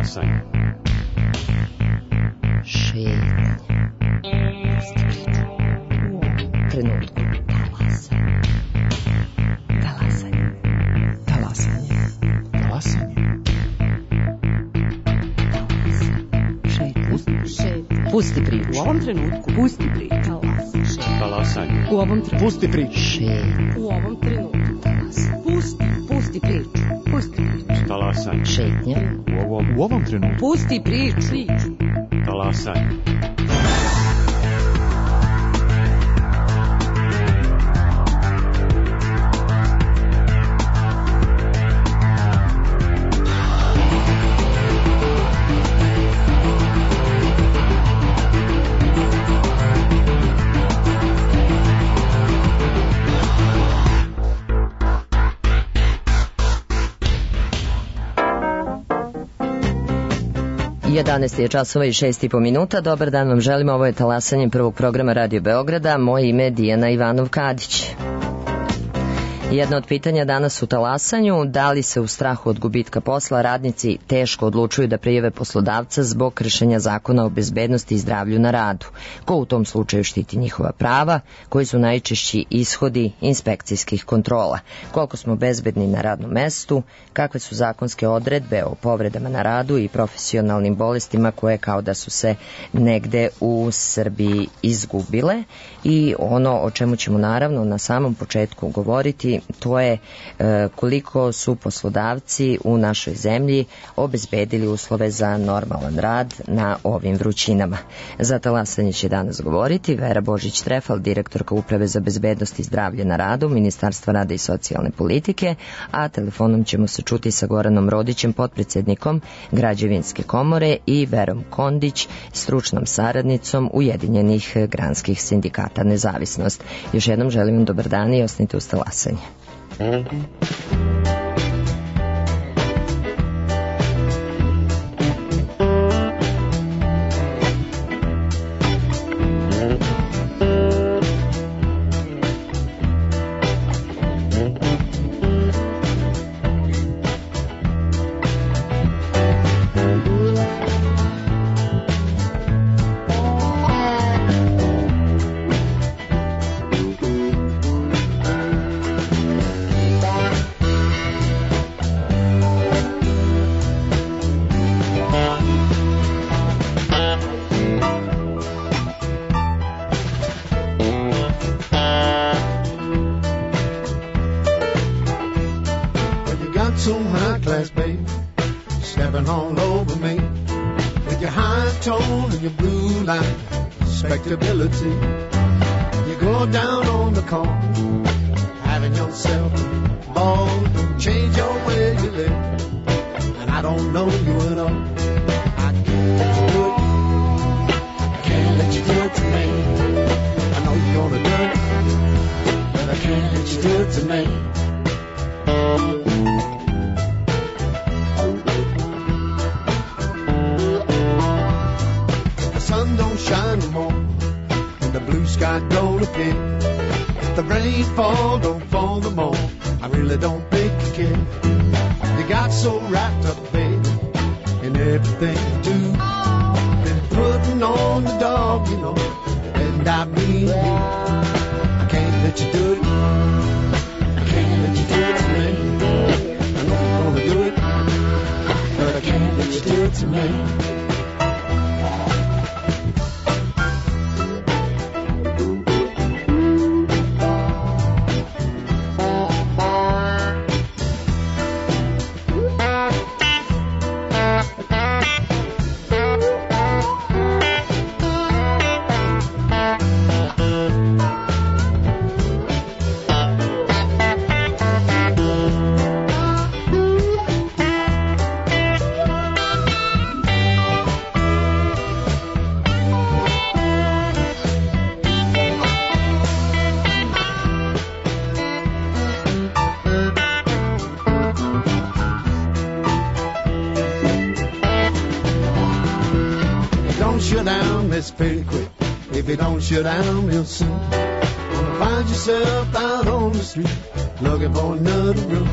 Talasanje. Šetnja. Trenutku. Talasanje. Talasanje. Talasanje. Šetnja. Pusti priču. U ovom trenutku. Pusti priču. Talasanje. U ovom trenutku. Pusti priču. Šetnja. U ovom trenutku. Pusti priču. Pusti priču. Talasanje. Šetnja. U ovom trenutku. Pusti priču. Talasanje. Je časova i 6,5 minuta. Dobar dan vam želimo. Ovo je Talasanje prvog programa Radio Beograda. Moje ime je Dijana Ivanov-Kadić. Jedno od pitanja danas u Talasanju, da li se u strahu od gubitka posla radnici teško odlučuju da prijave poslodavca zbog kršenja zakona o bezbednosti i zdravlju na radu? Ko u tom slučaju štiti njihova prava? Koji su najčešći ishodi inspekcijskih kontrola? Koliko smo bezbedni na radnom mestu? Kakve su zakonske odredbe o povredama na radu i profesionalnim bolestima koje kao da su se negde u Srbiji izgubile? I ono o čemu ćemo naravno na samom početku govoriti, to je koliko su poslodavci u našoj zemlji obezbedili uslove za normalan rad na ovim vrućinama. Za Talasanje će danas govoriti Vera Božić-Trefal, direktorka Uprave za bezbednost i zdravlje na radu Ministarstva rada i socijalne politike, a telefonom ćemo se čuti sa Goranom Rodićem, potpredsednikom Građevinske komore, i Verom Kondić, stručnom saradnicom Ujedinjenih granskih sindikata Nezavisnost. Još jednom želim vam dobar dan i ostanite uz Talasanje. Respectability. You go down on the corner, having yourself a ball, change your way you live, and I don't know you at all. I can't let you do it. I can't let you do it to me. I know you're gonna do it, but I can't let you do it to me. The sun don't shine no more, the blue sky don't appear. If the rain don't fall no more, I really don't think you care. You got so wrapped up, baby, in everything you do. Been putting on the dog, you know, and I mean me. I can't let you do it. I can't let you do it to me. I know you're gonna do it, but I can't let you do it to me. Pretty quick, if you don't shut down real soon, gonna find yourself out on the street looking for another room.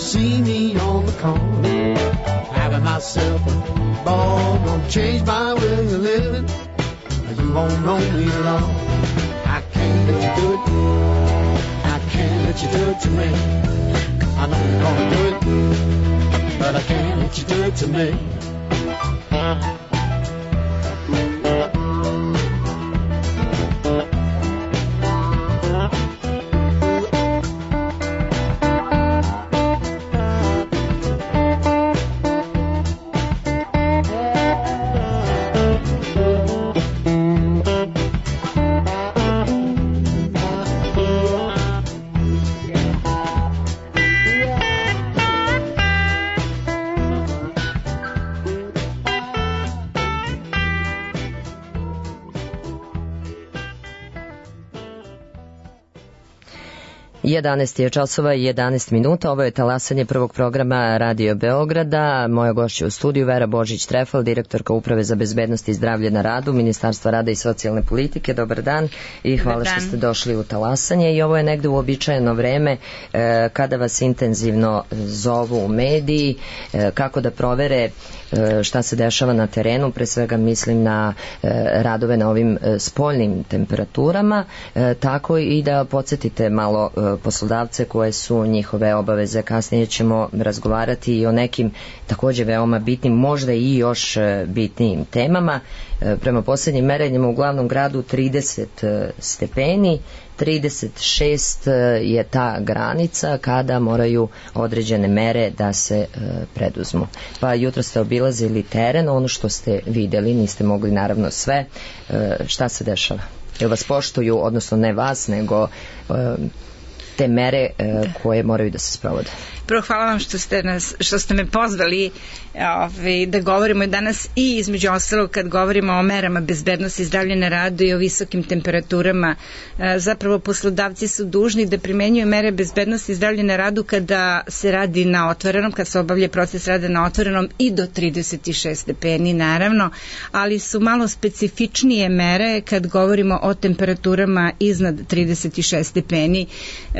see me on the corner, having myself a ball, gonna change my way of living. You won't know me long. I can't let you do it. I can't let you do it to me. I know you're gonna do it, but I can't let you do it to me. Jedanaest je časova i 11 minuta. Ovo je talasanje prvog programa Radio Beograda. Moja gošća u studiju Vera Božić-Trefal, direktorka Uprave za bezbednost i zdravlje na radu, Ministarstva rada i socijalne politike. Dobar dan i hvala što ste došli u talasanje. I ovo je negde uobičajeno vreme kada vas intenzivno zovu u mediji, kako da provere šta se dešava na terenu, pre svega mislim na radove na ovim spoljnim temperaturama, tako i da podsjetite malo poslodavce koje su njihove obaveze. Kasnije ćemo razgovarati i o nekim takođe veoma bitnim, možda i još bitnijim temama. Prema poslednjim merenjima u glavnom gradu 30 stepeni, 36 je ta granica kada moraju određene mere da se preduzmu. Pa jutro ste obilazili teren, ono što ste videli, niste mogli naravno sve. Šta se dešava? Jel vas poštuju, odnosno ne vas, nego te mere koje moraju da se sprovode? Prvo, hvala vam što ste me pozvali da govorimo danas i između ostalog kad govorimo o merama bezbednosti i zdravlja na radu i o visokim temperaturama. Zapravo poslodavci su dužni da primenjuju mere bezbednosti i zdravlja na radu kada se radi na otvorenom, kad se obavlja proces rada na otvorenom i do 36 stepeni naravno, ali su malo specifičnije mere kad govorimo o temperaturama iznad 36 stepeni.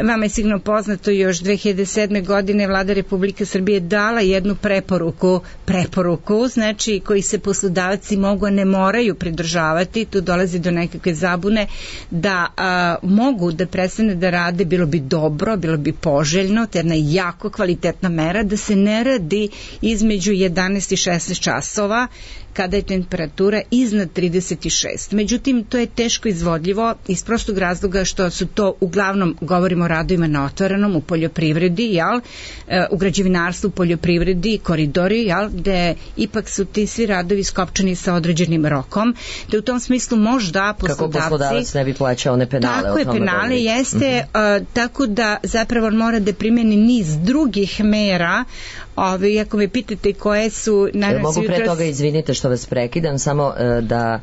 Vama je sigurno poznato, još 2007. godine Vlada Republike Srbije dala jednu preporuku, znači koji se poslodavci mogu, a ne moraju pridržavati, tu dolazi do nekakve zabune, da mogu da prestane da rade, bilo bi dobro, bilo bi poželjno, to je jedna jako kvalitetna mera, da se ne radi između 11 i 16 časova, kada je temperatura iznad 36. Međutim, to je teško izvodljivo iz prostog razloga što su to uglavnom, govorimo o radovima na otvorenom, u poljoprivredi, u građevinarstvu, poljoprivredi, koridori, gde ipak su ti svi radovi skopčani sa određenim rokom, te u tom smislu možda poslodavci... Kako poslodavac ne bi plaćao one penale? Tako je, penale jeste, tako da zapravo mora da primeni niz drugih mera. Ako me pitate koje su... Mogu pre toga, izvinite što vas prekidam, samo da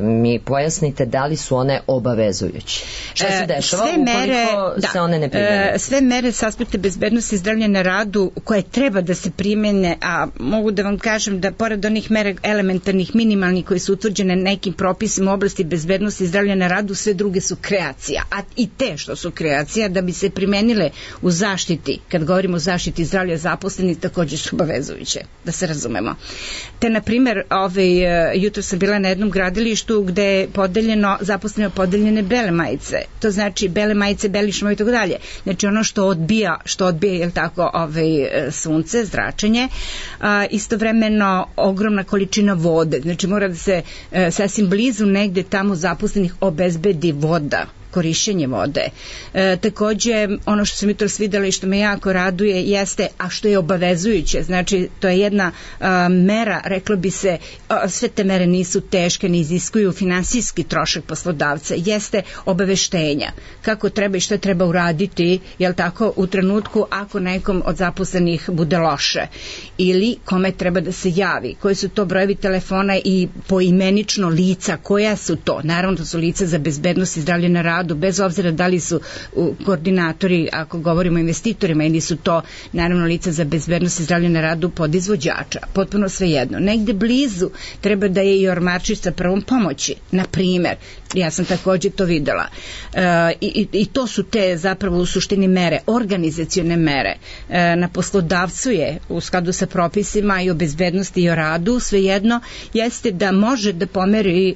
mi pojasnite da li su one obavezujuće. Šta se dešava ukoliko se one ne primene? Sve mere s aspekta bezbednosti i zdravlja na radu koje treba da se primene, a mogu da vam kažem da pored onih mera elementarnih, minimalnih koji su utvrđene nekim propisima u oblasti bezbednosti i zdravlja na radu, sve druge su kreacija. A i te što su kreacija, da bi se primenile u zaštiti, kad govorimo o zaštiti zdravlja zaposlenih, takođe su obavezujuće, da se razumemo. Te, na primjer, jutro sam bila na jednom gradilištu gde je zaposleno podeljene bele majice. To znači bele majice, beli šmovi i tako dalje. Znači ono što odbija, jel tako, sunce, zračenje, istovremeno ogromna količina vode. Znači mora da se sasvim blizu negde tamo zaposlenih obezbedi voda, korišćenje vode. Takođe, ono što sam jutros videla i što me jako raduje jeste, a što je obavezujuće, znači to je jedna mera, reklo bi se, sve te mere nisu teške, ne iziskuju finansijski trošak poslodavca, jeste obaveštenja kako treba i šta treba uraditi, jel tako, u trenutku ako nekom od zaposlenih bude loše ili kome treba da se javi, koji su to brojevi telefona i poimenično lica, koja su to, naravno to su lica za bezbednost i zdravlje na radu, bez obzira da li su koordinatori, ako govorimo o investitorima, ili su to naravno lica za bezbednost i zdravlje na radu podizvođača, potpuno svejedno. Negde blizu treba da je i ormarčić sa prvom pomoći, na primer. Ja sam takođe to videla. I to su te zapravo u suštini mere, organizacione mere. Na poslodavcu je u skladu sa propisima i o bezbednosti i o radu, svejedno jeste da može da pomeri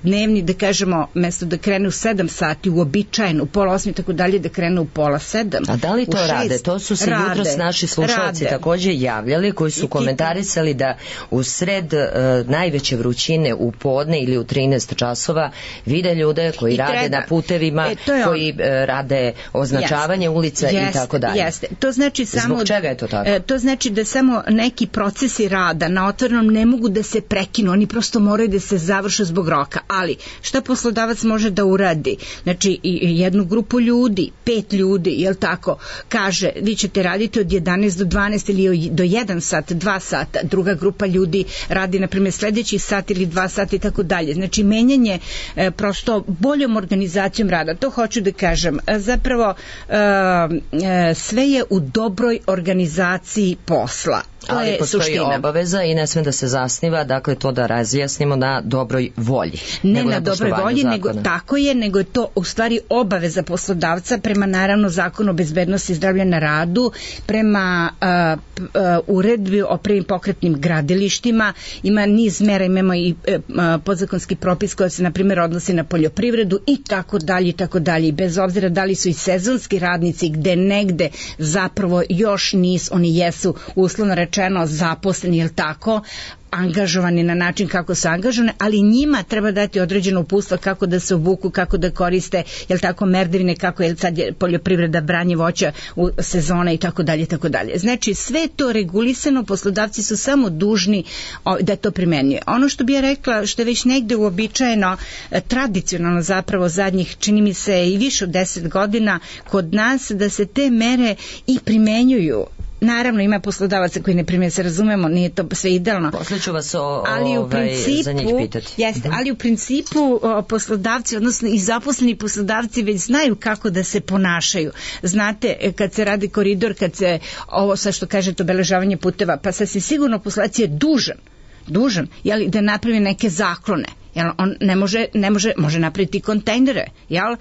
dnevni, da kažemo, mesto da krene u 7 sati, uobičajen, u 7:30, tako dalje, da krene u 6:30. A da li to rade? To su se jutros naši slušalci takođe javljali, koji su komentarisali da u sred najveće vrućine u podne ili u 13 časova vide ljude koji rade na putevima, koji rade označavanje ulica i tako dalje. Jeste. To znači samo... Zbog čega je to tako? To znači da samo neki procesi rada na otvorenom ne mogu da se prekinu, oni prosto moraju da se završe zbog roka. Ali šta poslodavac može da uradi? Znači jednu grupu ljudi, 5 ljudi, jel tako, kaže vi ćete raditi od 11 do 12 ili do 1 sat, 2 sata, druga grupa ljudi radi na primjer sledeći sat ili 2 sata i tako dalje. Znači menjanje prosto boljom organizacijom rada, to hoću da kažem. Zapravo sve je u dobroj organizaciji posla. Ali postoji obaveza i ne sme da se zasniva, dakle to da razjasnimo, na dobroj volji. Ne na dobroj volji, nego tako je, nego je to u stvari obaveza poslodavca prema naravno Zakonu o bezbednosti i zdravlja na radu, prema uredbi o prvim pokretnim gradilištima, ima niz mera, imamo i podzakonski propis koji se na primjer odnosi na poljoprivredu i tako dalje i tako dalje. Bez obzira da li su i sezonski radnici gde negde zapravo još nisu, oni jesu uslovno rečeno zaposleni, jel tako, angažovani na način kako su angažovani, ali njima treba dati određeno uputstvo kako da se obuku, kako da koriste, jel tako, merdevine, kako je sad poljoprivreda, branje voća u sezona i tako dalje, tako dalje. Znači sve je to regulisano, poslodavci su samo dužni da to primenjuje. Ono što bi ja rekla, što je već negde uobičajeno, tradicionalno zapravo zadnjih, čini mi se i više od 10 godina kod nas, da se te mere i primenjuju. Naravno ima poslodavaca koji ne primjenjuju, se razumemo, nije to sve idealno. Posle ću vas za njih pitati. Jeste, ali u principu poslodavci, odnosno i zaposleni poslodavci već znaju kako da se ponašaju. Znate, kad se radi koridor, kad se ovo sa što kažete obeležavanje puteva, pa sasvim sigurno poslodavac je dužan, jel, da napravi neke zaklone. Jel, on može napraviti kontejnere, jel,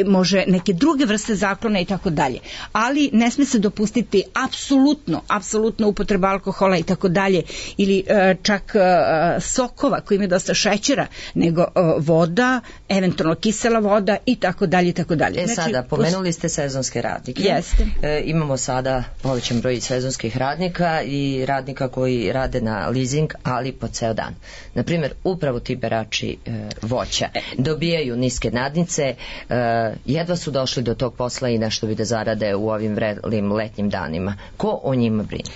može neke druge vrste zaklona i tako dalje, ali ne sme se dopustiti apsolutno upotreba alkohola i tako dalje, ili čak sokova koji imaju dosta šećera, nego voda, eventualno kisela voda i tako dalje i tako dalje. Znači, sada, pomenuli ste sezonske radnike. Jeste. Imamo sada povećan broj sezonskih radnika i radnika koji rade na leasing, ali po ceo dan. Naprimjer, upravo ti berači voća dobijaju niske nadnice, jedva su došli do tog posla i nešto bi da zarade u ovim vrelim letnjim danima. Ko o njima brine?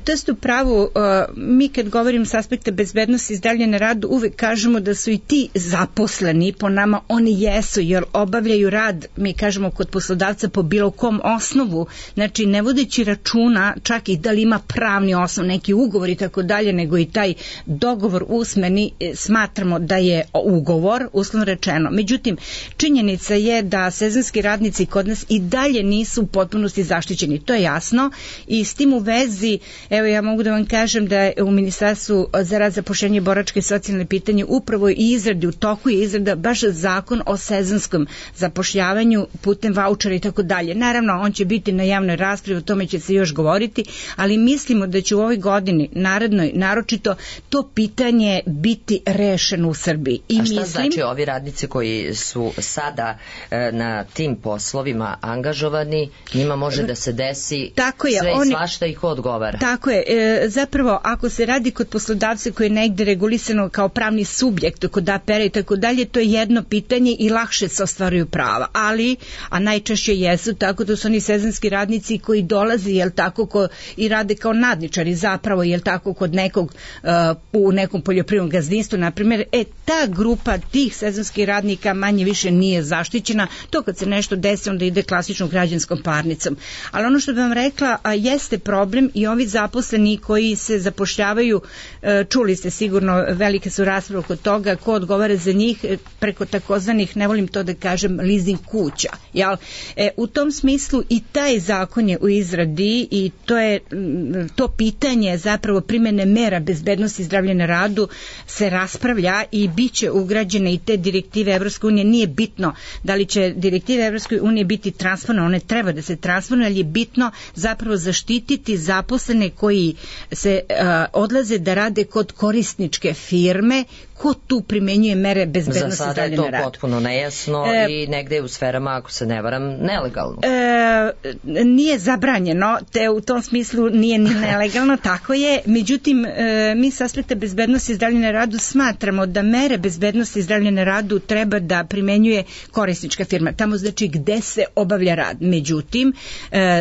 To ste u pravu. Mi kad govorim s aspekta bezbednosti i zdravlja na radu, uvek kažemo da su i ti zaposleni, po nama oni jesu, jer obavljaju rad, mi kažemo, kod poslodavca po bilo kom osnovu, znači ne vodeći računa čak i da li ima pravni osnov, neki ugovor i tako dalje, nego i taj dogovor usmeni, smatramo da je ugovor, uslovno rečeno. Međutim, činjenica je da sezonski radnici kod nas i dalje nisu u potpunosti zaštićeni, to je jasno, i s tim u vezi, evo ja mogu da vam kažem da je u Ministarstvu za rad, zapošljavanje, boračke i socijalne pitanje upravo i izradi, u toku je izrada baš zakon o sezonskom zapošljavanju putem vaučera i tako dalje. Naravno, on će biti na javnoj raspravi, o tome će se još govoriti, ali mislimo da će u ovoj godini, narednoj, naročito to pitanje biti rešeno u Srbiji. A šta znači ovi radnici koji su sada na tim poslovima angažovani, njima može da se desi sve i svašta i ko odgovara? Tako je. Zapravo, ako se radi kod poslodavca koji je negde regulisano kao pravni subjekt, kod APR-a i tako dalje, to je jedno pitanje i lakše se ostvaruju prava. Ali, a najčešće jesu, tako da su oni sezonski radnici koji dolaze, jel tako, i rade kao nadničari zapravo, jel tako, kod nekog u nekom poljoprivrednom gazdinstvu, na primjer, ta grupa tih sezonskih radnika manje više nije zaštićena. To kad se nešto desi, onda ide klasičnom građanskom parnicom. Ali ono što bih vam rekla, jeste problem i ovi zaposleni koji se zapošljavaju, čuli ste sigurno, velike su rasprave oko toga ko odgovara za njih preko takozvanih, ne volim to da kažem, leasing kuća. Jel? U tom smislu i taj zakon je u izradi i to pitanje zapravo primene mera bezbednosti i zdravlja na radu se raspravlja i bit će ugrađene i te direktive Evropske unije. Nije bitno da li će direktive Evropske unije biti transponovane, one treba da se transponuju, ali je bitno zapravo zaštititi zaposlene koji se odlaze da rade kod korisničke firme. Ko tu primenjuje mere bezbednosti za sada je zdravlja na radu? to potpuno nejasno i negde u sferama, ako se ne varam, nelegalno. Nije zabranjeno, te u tom smislu nije ni nelegalno, tako je. Međutim, mi s aspekta bezbednosti i zdravlja na radu smatramo da mere bezbednosti i zdravlja na radu treba da primenjuje korisnička firma. Tamo znači gde se obavlja rad. Međutim,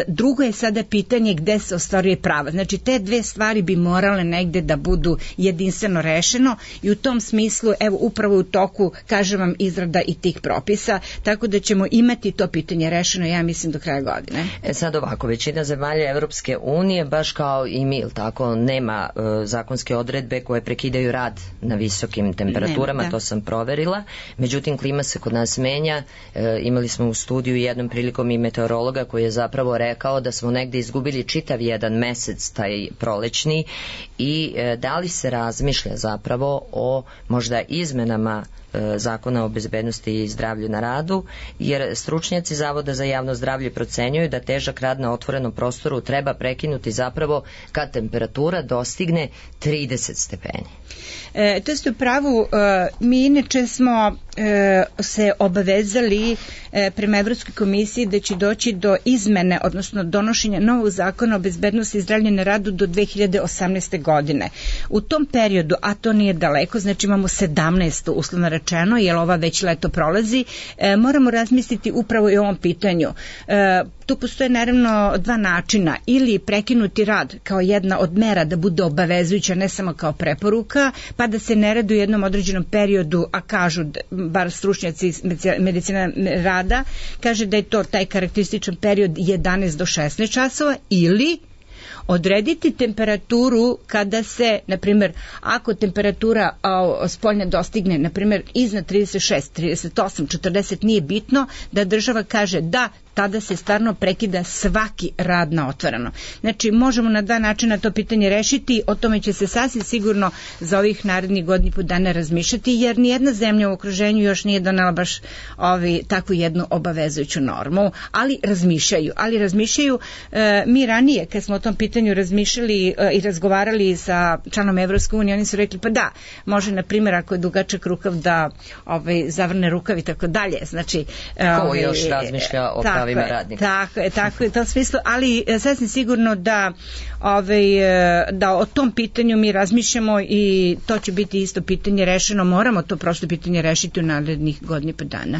drugo je sada pitanje gde se ostvaruje prava. Znači, te dve stvari bi morale negde da budu jedinstveno rešeno i u tom smislu, evo, upravo u toku, kažem vam, izrada i tih propisa, tako da ćemo imati to pitanje rešeno, ja mislim, do kraja godine. Sad ovako, većina zemalja Evropske unije, baš kao i mi, tako, nema zakonske odredbe koje prekidaju rad na visokim temperaturama, to sam proverila. Međutim, klima se kod nas menja. Imali smo u studiju jednom prilikom i meteorologa koji je zapravo rekao da smo negde izgubili čitav jedan mesec, taj prolećni, i da li se razmišlja zapravo o možda izmenama Zakona o bezbednosti i zdravlju na radu, jer stručnjaci Zavoda za javno zdravlje procenjuju da težak rad na otvorenom prostoru treba prekinuti zapravo kad temperatura dostigne 30 stepeni. To ste u pravu. Mi inače smo se obavezali prema Evropskoj komisiji da će doći do izmene, odnosno donošenja novog zakona o bezbednosti i zdravlju na radu do 2018. godine. U tom periodu, a to nije daleko, znači imamo 17. uslovno rečeno, jer ova već leto prolazi, moramo razmisliti upravo i o ovom pitanju. Tu postoje naravno dva načina, ili prekinuti rad kao jedna od mera da bude obavezujuća, ne samo kao preporuka, pa da se ne radi u jednom određenom periodu, a kažu, bar stručnjaci medicina rada, kaže da je to taj karakterističan period 11 do 16 časova, ili odrediti temperaturu kada se, na primjer, ako temperatura spoljna dostigne, na primjer, iznad 36, 38, 40, nije bitno, da država kaže da, tada se stvarno prekida svaki rad na otvoreno. Znači, možemo na dva načina to pitanje rešiti, o tome će se sasvim sigurno za ovih narednih godinu i po dana razmišljati, jer nijedna zemlja u okruženju još nije donela baš takvu jednu obavezujuću normu, ali razmišljaju. Mi ranije, kad smo o tom pitanju razmišljali i razgovarali sa članom Evropske unije, oni su rekli, pa da, može, na primjer, ako je dugačak rukav da zavrne rukav i tako dalje. Znači, ko još razmišlja o pravima radnika? Tako je, to smislu, ali sasvim sigurno da o tom pitanju mi razmišljamo i to će biti isto pitanje rešeno. Moramo to prosto pitanje rešiti u narednih godinu i po dana.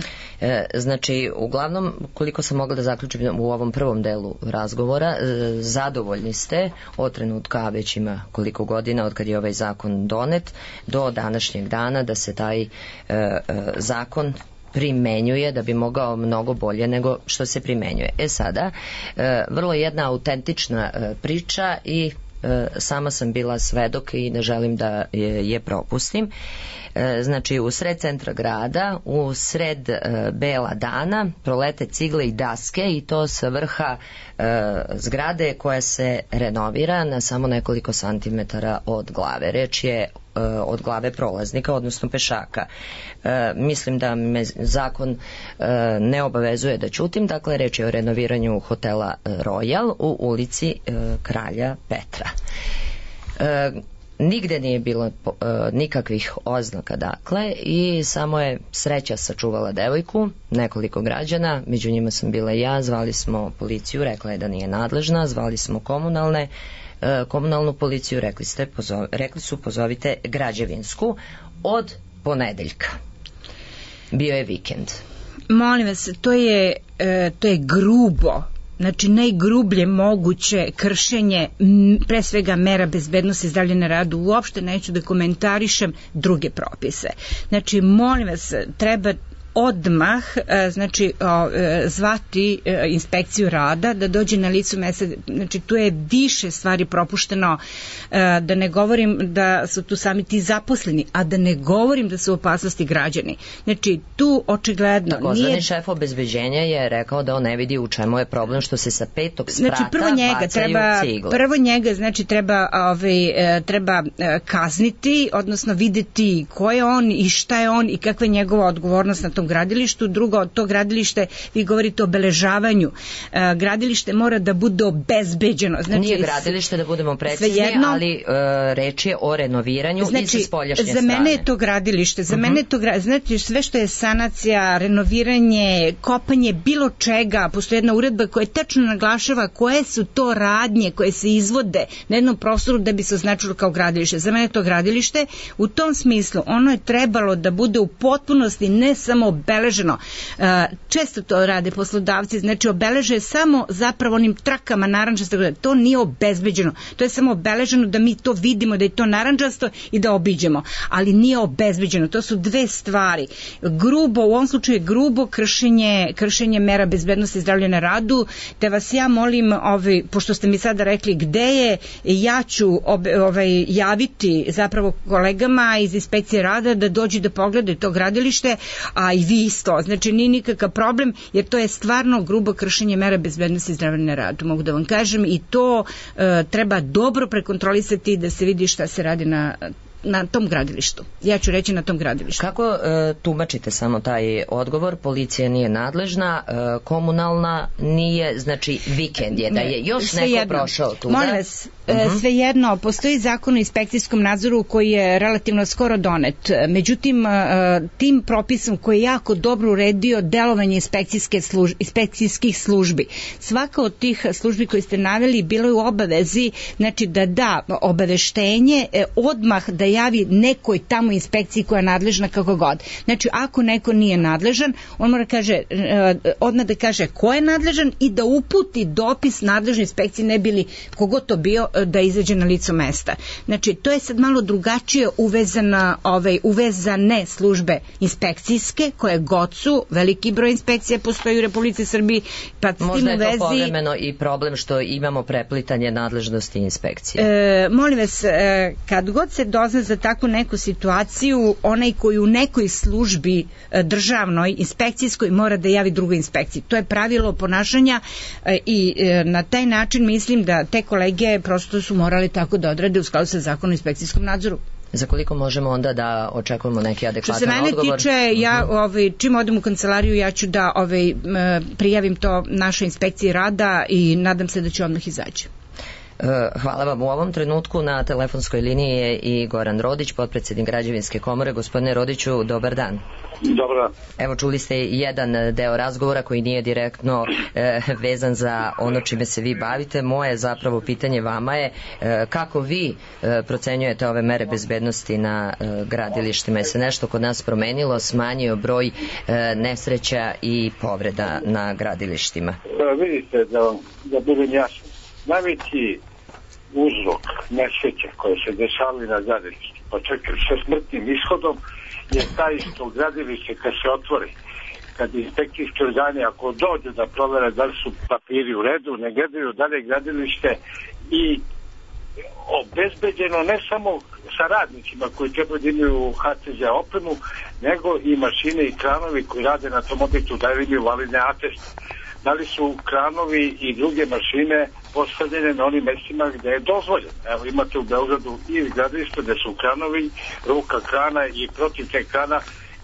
Znači, uglavnom, koliko sam mogla da zaključim u ovom prvom delu razgovora, zadovoljni ste od trenutka, već ima koliko godina od kad je ovaj zakon donet, do današnjeg dana da se taj zakon primenjuje, da bi mogao mnogo bolje nego što se primenjuje. Sada, vrlo jedna autentična priča i sama sam bila svedok i ne želim da je propustim. Znači, u sred centra grada, u sred bela dana, prolete cigle i daske, i to sa vrha zgrade koja se renovira na samo nekoliko santimetara od glave. Reč je od glave prolaznika, odnosno pešaka. Mislim da me zakon ne obavezuje da ćutim, dakle reč je o renoviranju hotela Royal u ulici Kralja Petra. Nigde nije bilo nikakvih oznaka, dakle, i samo je sreća sačuvala devojku, nekoliko građana, među njima sam bila i ja, zvali smo policiju, rekla je da nije nadležna, zvali smo komunalnu policiju, rekli su pozovite građevinsku od ponedeljka. Bio je vikend. Molim vas, to je grubo. Znači, najgrublje moguće kršenje pre svega mera bezbednosti i zdravlja na radu. Uopšte neću da komentarišem druge propise. Znači, molim vas, treba odmah znači zvati inspekciju rada da dođe na licu mesta. Znači tu je više stvari propušteno, da ne govorim da su tu sami ti zaposleni, a da ne govorim da su u opasnosti građani. Znači tu očigledno takozvani šef obezbeđenja je rekao da on ne vidi u čemu je problem što se sa 5. sprata znači, prvo njega znači treba kazniti, odnosno videti ko je on i šta je on i kakva je njegova odgovornost na tom gradilištu. Drugo, to gradilište, vi govorite o obeležavanju, gradilište mora da bude obezbeđeno. Znači, nije gradilište, da budemo precizni, ali reč je o renoviranju i sa spoljašnje strane. Za mene je to gradilište, znači sve što je sanacija, renoviranje, kopanje bilo čega, postoji jedna uredba koja tačno naglašava koje su to radnje koje se izvode na jednom prostoru da bi se označilo kao gradilište. Za mene je to gradilište, u tom smislu ono je trebalo da bude u potpunosti ne samo obeleženo. Često to rade poslodavci, znači obeleže samo zapravo onim trakama narandžastog, to nije obezbeđeno, to je samo obeleženo da mi to vidimo da je to narandžasto i da obiđemo, ali nije obezbeđeno. To su dve stvari. Grubo, u ovom slučaju je grubo kršenje mera bezbednosti i zdravlja na radu, te vas ja molim, pošto ste mi sada rekli gde je, ja ću javiti zapravo kolegama iz inspekcije rada da dođu da pogledaju to gradilište, a i vi isto. Znači nije nikakav problem, jer to je stvarno grubo kršenje mera bezbednosti i zdravlja na radu, mogu da vam kažem, i to treba dobro prekontrolisati da se vidi šta se radi na tom gradilištu. Ja ću reći na tom gradilištu. Kako tumačite samo taj odgovor? Policija nije nadležna, komunalna nije, znači vikend je, da je još neko prošao tu. Molim vas, svejedno, postoji zakon o inspekcijskom nadzoru koji je relativno skoro donet. Međutim, tim propisom koji je jako dobro uredio delovanje inspekcijskih službi. Svaka od tih službi koje ste naveli bilo je u obavezi, znači da obaveštenje odmah da javi nekoj tamo inspekciji koja je nadležna kako god. Znači, ako neko nije nadležan, on mora odmah da kaže ko je nadležan i da uputi dopis nadležnoj inspekciji, ne bili kogod to bio, da izađe na licu mesta. Znači, to je sad malo drugačije uvezane službe inspekcijske, koje god su, veliki broj inspekcija postoji u Republici Srbiji, pa s tim u vezi... Možda je to povremeno i problem što imamo preplitanje nadležnosti inspekcije. Molim vas, kad god se dozna za takvu neku situaciju, onaj koji u nekoj službi državnoj, inspekcijskoj, mora da javi drugoj inspekciji. To je pravilo ponašanja i na taj način mislim da te kolege prosto su morali tako da odrade u skladu sa zakonom o inspekcijskom nadzoru. Za koliko možemo onda da očekujemo neki adekvatan odgovor? Što se mene tiče, ja čim odem u kancelariju, ja ću da prijavim to našoj inspekciji rada i nadam se da će odmah izaći. Hvala vam. U ovom trenutku na telefonskoj liniji je i Goran Rodić, potpredsednik Građevinske komore. Gospodine Rodiću, dobar dan. Dobar dan. Evo, čuli ste jedan deo razgovora koji nije direktno vezan za ono čime se vi bavite. Moje zapravo pitanje vama je kako vi procenjujete ove mere bezbednosti na gradilištima? Je se nešto kod nas promenilo, smanjio broj nesreća i povreda na gradilištima? Vidite, da budem jasan, najveći uzrok nesreća koje se dešavaju na gradilištu, pa čak sa smrtnim ishodom, je taj što gradilište kad se otvori, kad inspekcijski organi ako dođu da provere da li su papiri u redu, ne gledaju da li je gradilište i obezbeđeno ne samo sa radnicima koji treba da imaju HCZ opremu, nego i mašine i kranovi koji rade na tom objektu da imaju validne ateste. Da li su kranovi i druge mašine postavljene na onim mestima gde je dozvoljeno. Evo imate u Beogradu i gradilište gde su kranovi, ruka krana i protiv te krana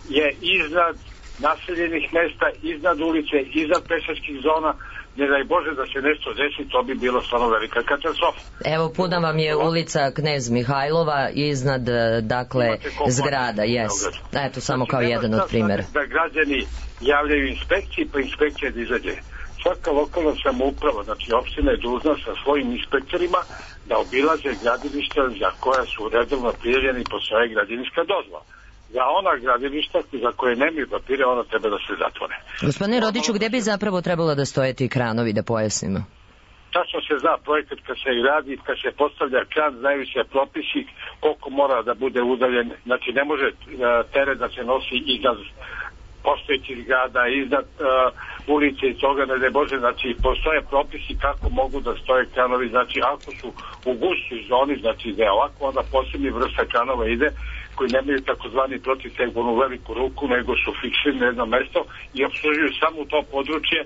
je iznad naseljenih mesta, iznad ulice, iznad pešačkih zona. Ne daj Bože da se nešto desi, to bi bilo stvarno velika katastrofa. Evo, puna vam je ulica Knez Mihajlova iznad, dakle, zgrada, Eto, samo kao jedan od primjera. Da građani javljaju inspekciji, pa inspekcija da izađe. Svaka lokalna samouprava, znači opština je dužna sa svojim inspektorima da obilaze gradilišta za koja su redovno prijavljeni po svoje građevinska dozvola. Za ona gradilišta za koje nemaju papire, ona treba da se zatvore. Gospodine Rodiću, gde bi zapravo trebalo da stoje ti kranovi, da pojasnimo? Tačno se zna projekat kad se radi, kad se postavlja kran, znaju se propisi koliko mora da bude udaljen. Znači ne može teret da se nosi iznad postojećih zgrada, iznad ulice i toga, ne Bože, znači postoje propisi kako mogu da stoje kranovi, znači ako su u gustoj zoni, znači da je ovako, onda posebni vrsta kranova ide, koji nemaju takozvani protivtegbonu veliku ruku, nego su fiksirani na jedno mesto i opslužuju samo to područje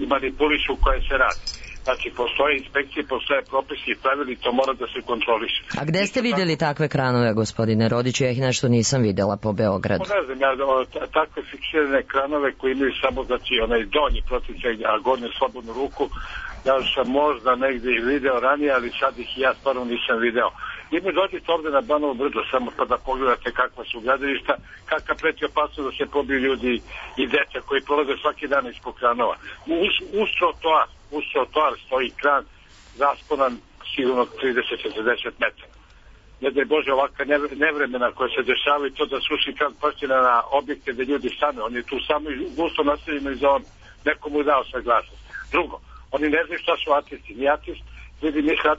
i manipulišu koje se radi. Znači, postoje inspekcije, postoje propisi i pravili, to mora da se kontroliše. A gde ste vidjeli takve kranove, gospodine Rodiću? Ja ih nešto nisam videla po Beogradu. Ne znam, takve fiksirane kranove koji imaju samo, znači, onaj donji protivteg, a gornju slobodnu ruku, ja sam možda negdje ih video ranije, ali sad ih ja stvarno nisam video. I mi dođete ovde na Banovo brdo samo pa da pogledate kakva su gradilišta, kakva preti opasnost da se pobiju ljudi i deca koji prolaze svaki dan ispod kranova. Uz trotoar stoji kran rasponan sigurno 30-40 metara. Ne daj Bože, ovakva nevremena koja se dešavaju, to da suši kran paština na objekte gde ljudi stane. On je tu samo gusto naseljeno i za on nekomu dao saglasnost. Drugo, oni ne znaju šta su atesti. Ni atest, ljudi misle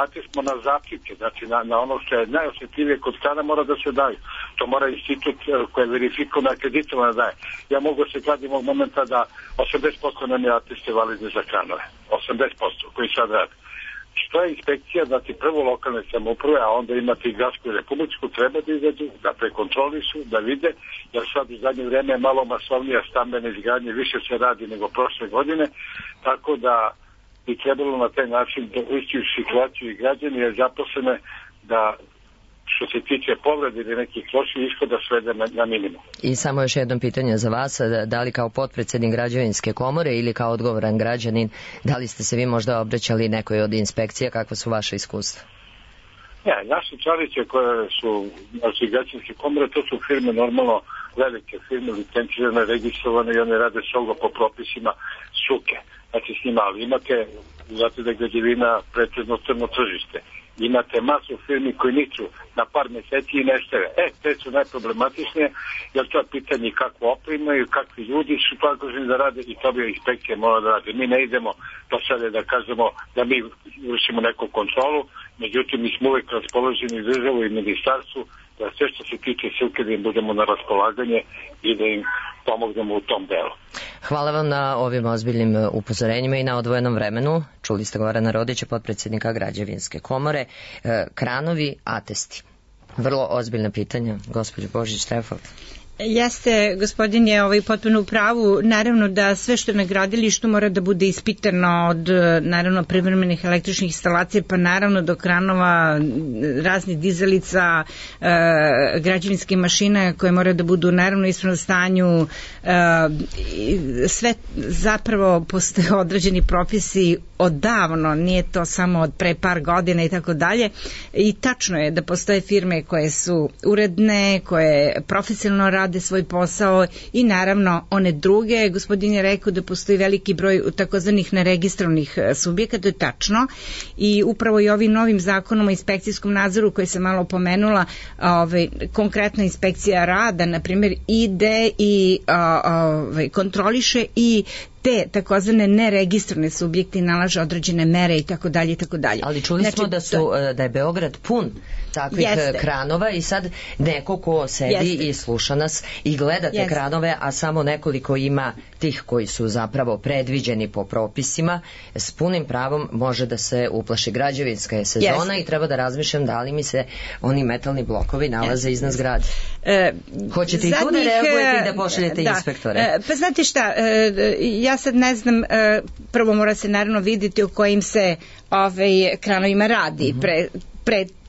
atest na zapčike, znači na ono što je najosjetljivije kod krana mora da se daju. To mora institut koji je verifikovan, akreditovan da daje. Ja mogu se kladim ovog momenta da 80% nam je ateste validne za kranove. 80% koji sad rade. Što je inspekcija, znači prvo lokalne samouprave, a onda imate i gradsku i republičku, treba da izađu, da prekontrolišu, da vide, jer sad u zadnje vreme je malo masovnija stambene izgradnje, više se radi nego prošle godine, tako da bi trebalo na taj način da ući u situaciju i građani je zaposlene da što se tiče povrede ili nekih loših ishoda svede na minimum. I samo još jedno pitanje za vas, da li kao potpredsednik građevinske komore ili kao odgovoran građanin, da li ste se vi možda obraćali nekoj od inspekcija, kakva su vaše iskustva? Ne, naše članice koje su znači građevinske komore, to su firme normalno velike firme, licencirane, registrovane i one rade strogo po propisima struke. Znači s njima, ali imate, zato da je građevina pretežno crno tržište. Imate masu firmi koji niču na par meseci i nestave. Te su najproblematičnije, jer to je pitanje kakvu opremu i kakvi ljudi su zaduženi da rade i to bi inspekcije mora da rade. Mi ne idemo do sada da kažemo da mi vršimo neku kontrolu, međutim mi smo uvijek raspoloženi državu i ministarstvu da sve što se tiče struke da im budemo na raspolaganje i da im pomognemo u tom delu. Hvala vam na ovim ozbiljnim upozorenjima i na odvojenom vremenu. Čuli ste Gorana Rodića, potpredsjednika građevinske komore. Kranovi, atesti. Vrlo ozbiljna pitanja. Gospođo Božić-Štefov. Jeste, gospodin je potpuno u pravu. Naravno da sve što je na gradilištu mora da bude ispitano od naravno privremenih električnih instalacija, pa naravno do kranova, raznih dizalica, građevinskih mašina koje mora da budu naravno u ispravnom stanju. Sve zapravo postoje određeni propisi odavno, nije to samo od pre par godina i tako dalje. I tačno je da postoje firme koje su uredne, koje profesionalno rade svoj posao i naravno one druge. Gospodin je rekao da postoji veliki broj takozvanih neregistrovanih subjekata, to je tačno i upravo i ovim novim zakonom o inspekcijskom nadzoru koji sam malo pomenula, konkretna inspekcija rada, na primjer, ide i kontroliše i te takozvane neregistrovane subjekte nalaže određene mere i tako dalje i tako dalje. Ali čuli smo da je Beograd pun takvih kranova i sad neko ko sedi i sluša nas i gleda te kranove, a samo nekoliko ima tih koji su zapravo predviđeni po propisima, s punim pravom može da se uplaši. Građevinska je sezona i treba da razmišljam da li mi se oni metalni blokovi nalaze iznad zgrade. Hoćete i tu da reagujete i da pošaljete inspektore? Pa znate šta, ja sad ne znam, prvo mora se naravno vidjeti o kojim se kranovima radi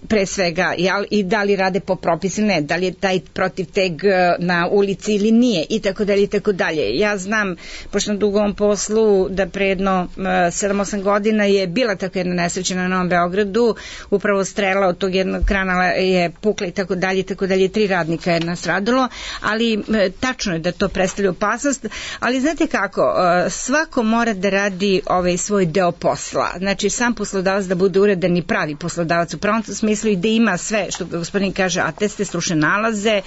pre svega, i da li rade po propisu, ne, da li je taj protivteg na ulici ili nije i tako dalje i tako dalje. Ja znam, pošto na dugovom poslu, da pre jedno 7-8 godina je bila tako jedna nesreća na Novom Beogradu, upravo strela od tog jednog krana je pukla i tako dalje, 3 radnika je nastradalo, ali tačno je da to predstavlja opasnost, ali znate kako, svako mora da radi svoj deo posla, znači sam poslodavac da bude uredan i pravi poslodavac u pravom smislu i da ima sve, što gospodin kaže, ateste, stručne nalaze,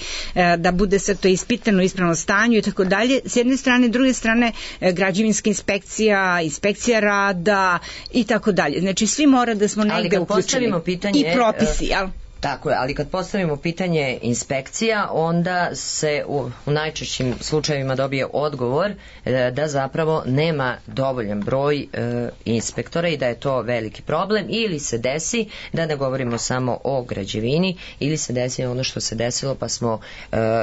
da bude sve to ispitano u ispravnom stanju i tako dalje. S jedne strane, s druge strane, građevinska inspekcija, inspekcija rada i tako dalje. Znači, svi mora da smo negde uključeni. Pitanje, i propisi, jel? Tako je, ali kad postavimo pitanje inspekcija, onda se u najčešćim slučajevima dobije odgovor da zapravo nema dovoljan broj inspektora i da je to veliki problem, ili se desi, da ne govorimo samo o građevini, ili se desi ono što se desilo, pa smo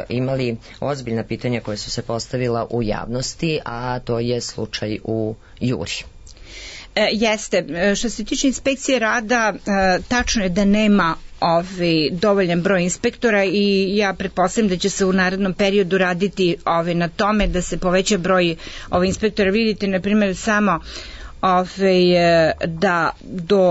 imali ozbiljna pitanja koje su se postavila u javnosti, a to je slučaj u Juri. Jeste, što se tiče inspekcije rada, tačno je da nema dovoljan broj inspektora i ja pretpostavljam da će se u narednom periodu raditi na tome da se poveća broj inspektora. Vidite, na primjer, samo da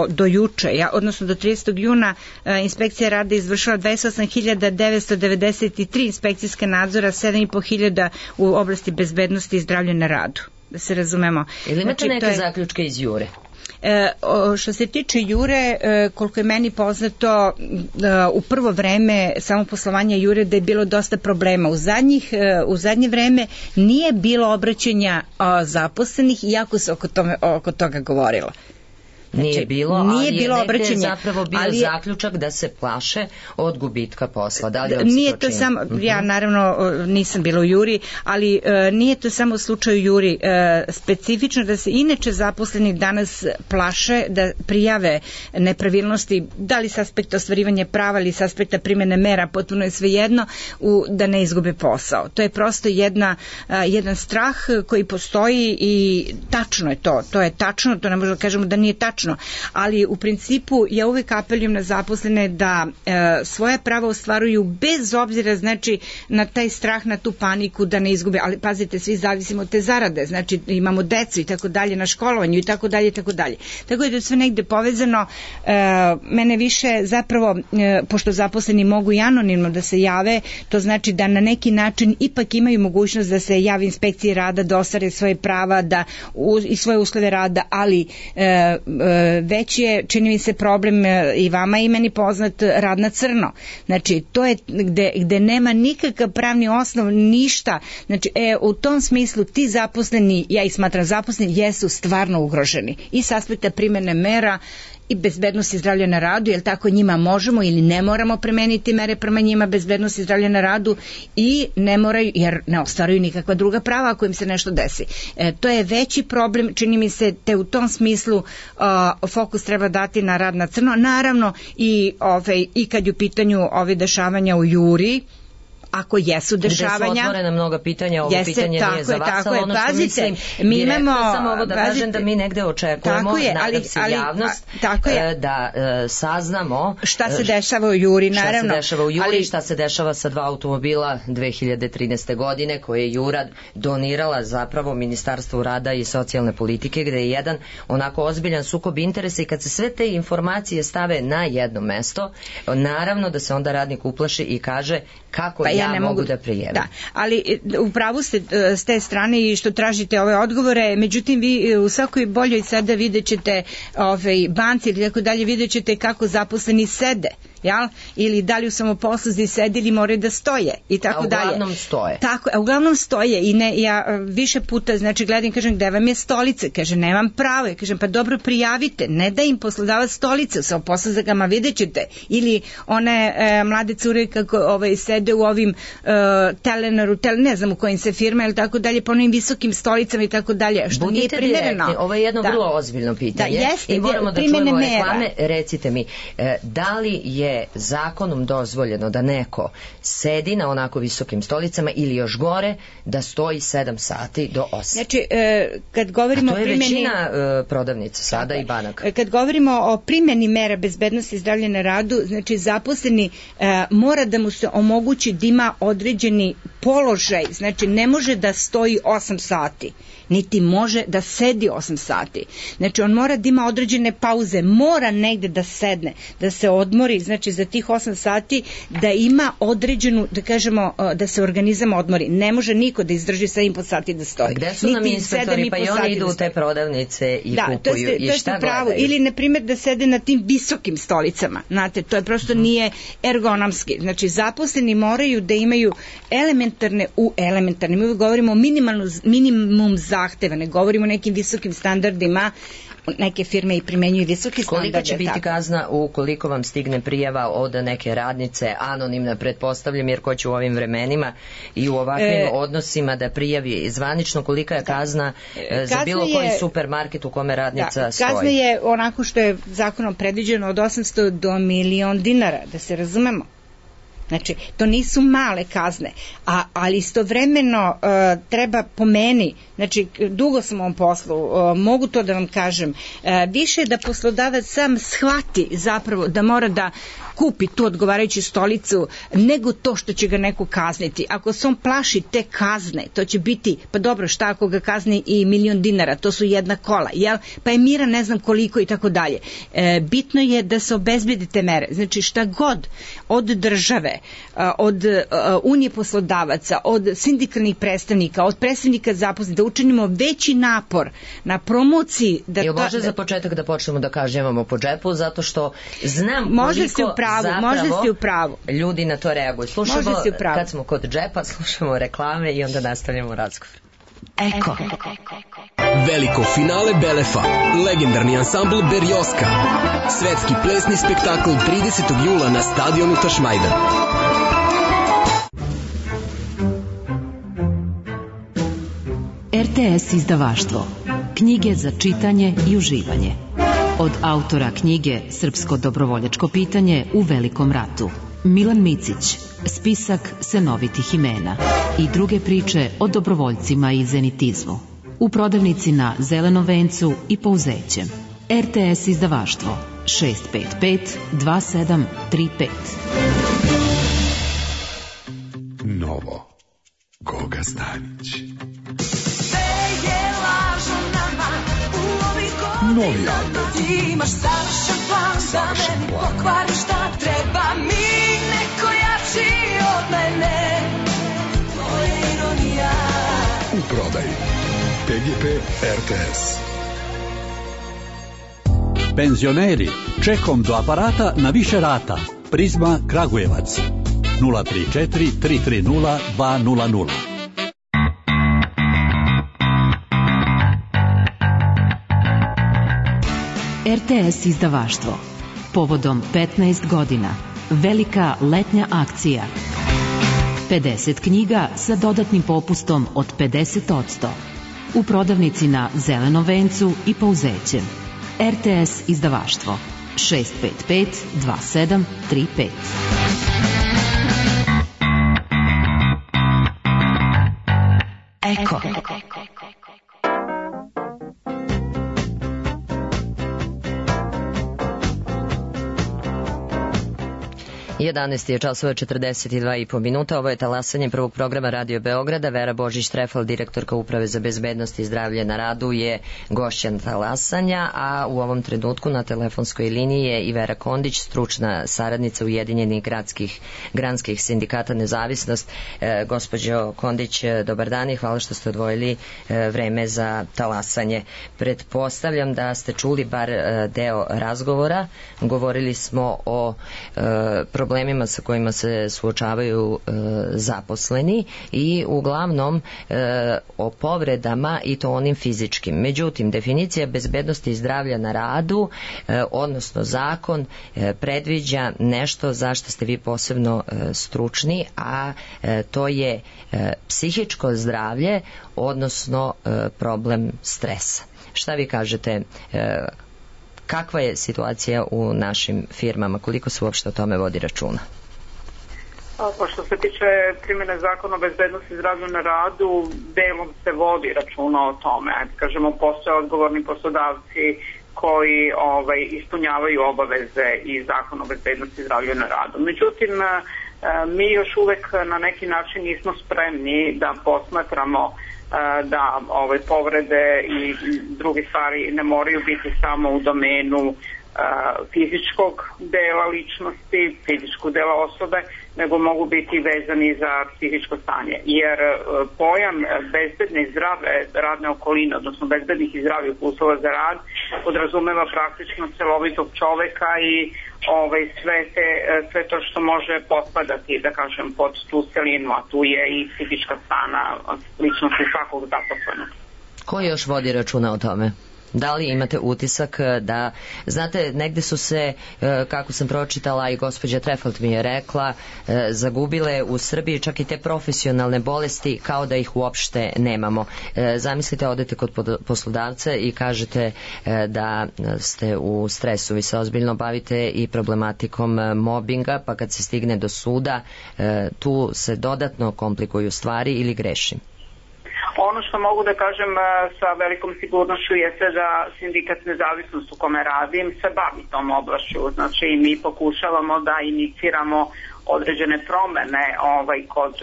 do juče, odnosno do 30. juna inspekcija rada izvršila 28.993 inspekcijska nadzora, 7.500 u oblasti bezbednosti i zdravlja na radu. Da se razumemo. Ili imate neke zaključke iz Jure? Što se tiče Jure, koliko je meni poznato, u prvo vreme samoposlovanja Jure da je bilo dosta problema. U zadnje vreme nije bilo obraćanja zaposlenih, iako se oko toga govorilo. Nije bilo, ali je negde zapravo bio zaključak da se plaše od gubitka posla. Da li vam se to čini? Ja naravno nisam bila u Juri, ali nije to samo u slučaju Juri. Specifično da se inače zaposleni danas plaše da prijave nepravilnosti, da li s aspekta ostvarivanja prava ili s aspekta primjene mera, potpuno je svejedno, da ne izgube posao. To je prosto jedan strah koji postoji i tačno je to. To je tačno, to ne možemo da kažemo da nije tačno, ali u principu ja uvek apelujem na zaposlene da svoja prava ostvaruju bez obzira, znači, na taj strah, na tu paniku da ne izgube, ali pazite, svi zavisimo od te zarade, znači imamo decu i tako dalje na školovanju i tako dalje i tako dalje. Tako je da je sve negde povezano. Mene više zapravo, pošto zaposleni mogu i anonimno da se jave, to znači da na neki način ipak imaju mogućnost da se javi inspekciji rada, da ostvare svoje prava i svoje uslove rada, ali već je, čini mi se, problem i vama i meni poznat, rad na crno. Znači, to je gde nema nikakav pravni osnov, ništa. Znači, u tom smislu ti zaposleni, ja ih smatram zaposleni, jesu stvarno ugroženi. I s aspekta primjene mera i bezbednosti i zdravlja na radu, jer tako njima možemo ili ne moramo primeniti mere prema njima, bezbednosti i zdravlja na radu, i ne moraju, jer ne ostvaruju nikakva druga prava ako im se nešto desi. To je veći problem, čini mi se, te u tom smislu fokus treba dati na rad na crno. Naravno i kad je u pitanju ove dešavanja u Juri, ako jesu dešavanja. Gde su otvorena mnoga pitanja, ovo pitanje nije za vas, ali ono što mislim, mi imamo, samo ovo da kažem da mi negde očekujemo, nadam se javnost, da saznamo šta se dešava u Juri, naravno. Šta se dešava u Juri, šta se dešava sa 2 automobila 2013. godine koje je Jura donirala zapravo Ministarstvu rada i socijalne politike, gde je jedan onako ozbiljan sukob interesa, i kad se sve te informacije stave na jedno mesto, naravno da se onda radnik uplaši i kaže kako ja ne mogu da prijavim. Da, ali upravo ste s te strane i što tražite ove odgovore, međutim vi u svakoj boljoj sada vidjet ćete banci ili tako dalje, vidjet ćete kako zaposleni sede, ili da li u samoposluzi sede ili moraju da stoje i tako dalje. A uglavnom stoje. Tako, a uglavnom stoje i ja više puta, znači, gledam, kažem, gde vam je stolica? Kaže, nemam pravo. Ja kažem, pa dobro, prijavite, ne da im poslodavac stolice, u samoposluzama vidjet ćete. Ili one mlade cure kako sede u ovim Telenaru, ne znam u kojim se firma ili tako dalje, po onim visokim stolicama i tako dalje, što nije primereno. Direktni. Ovo je jedno vrlo ozbiljno pitanje. I moramo da čujemo reklame. Recite mi, da li je zakonom dozvoljeno da neko sedi na onako visokim stolicama ili još gore da stoji 7 sati do 8? Znači, kad govorimo o primjeni... To je većina prodavnica sada i banaka. Kad govorimo o primjeni mera bezbednosti i zdravlja na radu, znači zaposleni mora da mu se omogući da ima određeni položaj, znači ne može da stoji 8 sati, niti može da sedi 8 sati. Znači on mora da ima određene pauze, mora negde da sedne, da se odmori, znači za tih 8 sati da ima određenu, da kažemo, da se organizam odmori. Ne može niko da izdrži 7,5 sati da stoji. Gde su nam inspektori, pa i oni idu u te prodavnice i kupuju i šta gledaju? Ili, na primjer, da sede na tim visokim stolicama. Znate, to je prosto nije ergonomski. Znači, zaposleni moraju da imaju elementarne elementarne u elementarne. Mi govorimo o minimum zahteva, ne govorimo o nekim visokim standardima. Neke firme i primenjuju visoki standarde. Kolika će biti kazna ukoliko vam stigne prijava od neke radnice, anonimna, pretpostavljam, jer ko će u ovim vremenima i u ovakvim odnosima da prijavi zvanično, kolika je kazna za bilo koji supermarket u kome radnica stoji? Kazna je onako što je zakonom predviđeno od 800 do 1.000.000 dinara, da se razumemo. Znači, to nisu male kazne, ali istovremeno treba po meni, znači, dugo sam u ovom poslu, mogu to da vam kažem, više da poslodavac sam shvati zapravo da mora da kupi tu odgovarajuću stolicu nego to što će ga neko kazniti. Ako se on plaši te kazne, to će biti, pa dobro, šta ako ga kazni i 1.000.000 dinara, to su jedna kola, jel? Pa je mira ne znam koliko i tako dalje. Bitno je da se obezbedi te mere. Znači, šta god od države, od unije poslodavaca, od sindikalnih predstavnika, od predstavnika zaposlenih, da učinimo veći napor na promociji. Jel može za početak da počnemo da kažnjavamo po džepu, zato što znam koliko zapravo ljudi na to reaguju. Slušamo, kad smo kod džepa, slušamo reklame i onda nastavljamo razgovor. Eko. Veliko finale Belefa, legendarni ansambl Berioska, svetski plesni spektakl 30. jula na stadionu Tašmajdan. RTS izdavaštvo. Knjige za čitanje i uživanje. Od autora knjige Srpsko dobrovoljačko pitanje u Velikom ratu, Milan Micić, spisak senovitih imena i druge priče o dobrovoljcima i zenitizmu. U prodavnici na Zelenom vencu i Pouzećem. RTS izdavaštvo 655 2735. Novo. Goga Stanić. Novi album. Imaš savršen plan da meni pokvariš šta treba mi neko jači od mene. To je ironija. U prodaji PGP RTS. Penzioneri, čekom do aparata na više rata. Prizma Kragujevac 034 330 200. RTS izdavaštvo. Povodom 15 godina. Velika letnja akcija. 50 knjiga sa dodatnim popustom od 50%. U prodavnici na Zelenom vencu i Pouzećem. RTS izdavaštvo 655 2735. Eko. 11 je časova 42,5 minuta. Ovo je talasanje prvog programa Radio Beograda. Vera Božić-Trefal, direktorka Uprave za bezbednost i zdravlje na radu, je gošća talasanja, a u ovom trenutku na telefonskoj liniji je i Vera Kondić, stručna saradnica Ujedinjenih granskih sindikata Nezavisnost. Gospođo Kondić, dobar dan i hvala što ste odvojili vreme za talasanje. Pretpostavljam da ste čuli bar deo razgovora. Govorili smo o problemima sa kojima se suočavaju zaposleni i uglavnom o povredama, i to onim fizičkim. Međutim, definicija bezbednosti i zdravlja na radu, odnosno zakon, predviđa nešto za što ste vi posebno stručni, a to je psihičko zdravlje, odnosno problem stresa. Šta vi kažete? Kakva je situacija u našim firmama? Koliko se uopšte o tome vodi računa? Pa što se tiče primjene zakona o bezbednosti i zdravlju na radu, delom se vodi računa o tome. Kažemo, postoje odgovorni poslodavci koji ispunjavaju obaveze i zakon o bezbednosti i zdravlju na radu. Međutim, mi još uvek na neki način nismo spremni da posmatramo da povrede i druge stvari ne moraju biti samo u domenu fizičkog dela ličnosti, fizičkog dela osobe, nego mogu biti vezani za psihičko stanje. Jer pojam bezbedne i zdrave radne okoline, odnosno bezbednih i zdravih uslova za rad, podrazumeva praktično celovitog čoveka i sve to što može potpadati, da kažem, pod tu celinu, a tu je i psihička strana ličnosti svakog zaposlenog. Ko još vodi računa o tome? Da li imate utisak da, znate, negde su se, kako sam pročitala i gospođa Trefalt mi je rekla, zagubile u Srbiji čak i te profesionalne bolesti kao da ih uopšte nemamo. Zamislite, odete kod poslodavca i kažete da ste u stresu, vi se ozbiljno bavite i problematikom mobinga, pa kad se stigne do suda, tu se dodatno komplikuju stvari ili grešim? Ono što mogu da kažem sa velikom sigurnošću jeste da sindikat Nezavisnost u kome radim se bavi tom oblašću. Znači mi pokušavamo da iniciramo određene promene kod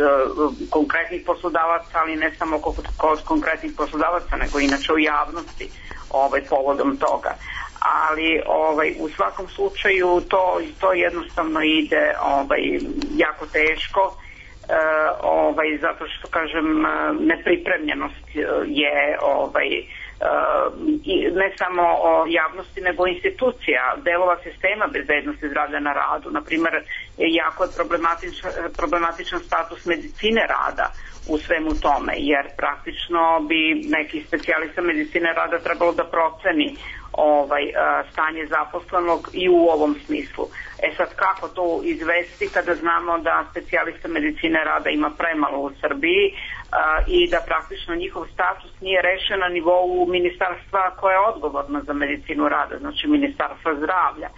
konkretnih poslodavaca, ali ne samo kod konkretnih poslodavaca, nego inače u javnosti povodom toga. Ali u svakom slučaju to jednostavno ide jako teško. Zato što kažem nepripremljenost je ne samo javnosti nego institucija, delova sistema bezbednosti zdravlja na radu. Naprimjer, jako je problematičan status medicine rada u svemu tome, jer praktično bi neki specijalista medicine rada trebalo da proceni stanje zaposlenog i u ovom smislu. Sad kako to izvesti kada znamo da specijalista medicine rada ima premalo u Srbiji i da praktično njihov status nije rešen na nivou ministarstva koje je odgovorno za medicinu rada, znači ministarstva zdravlja.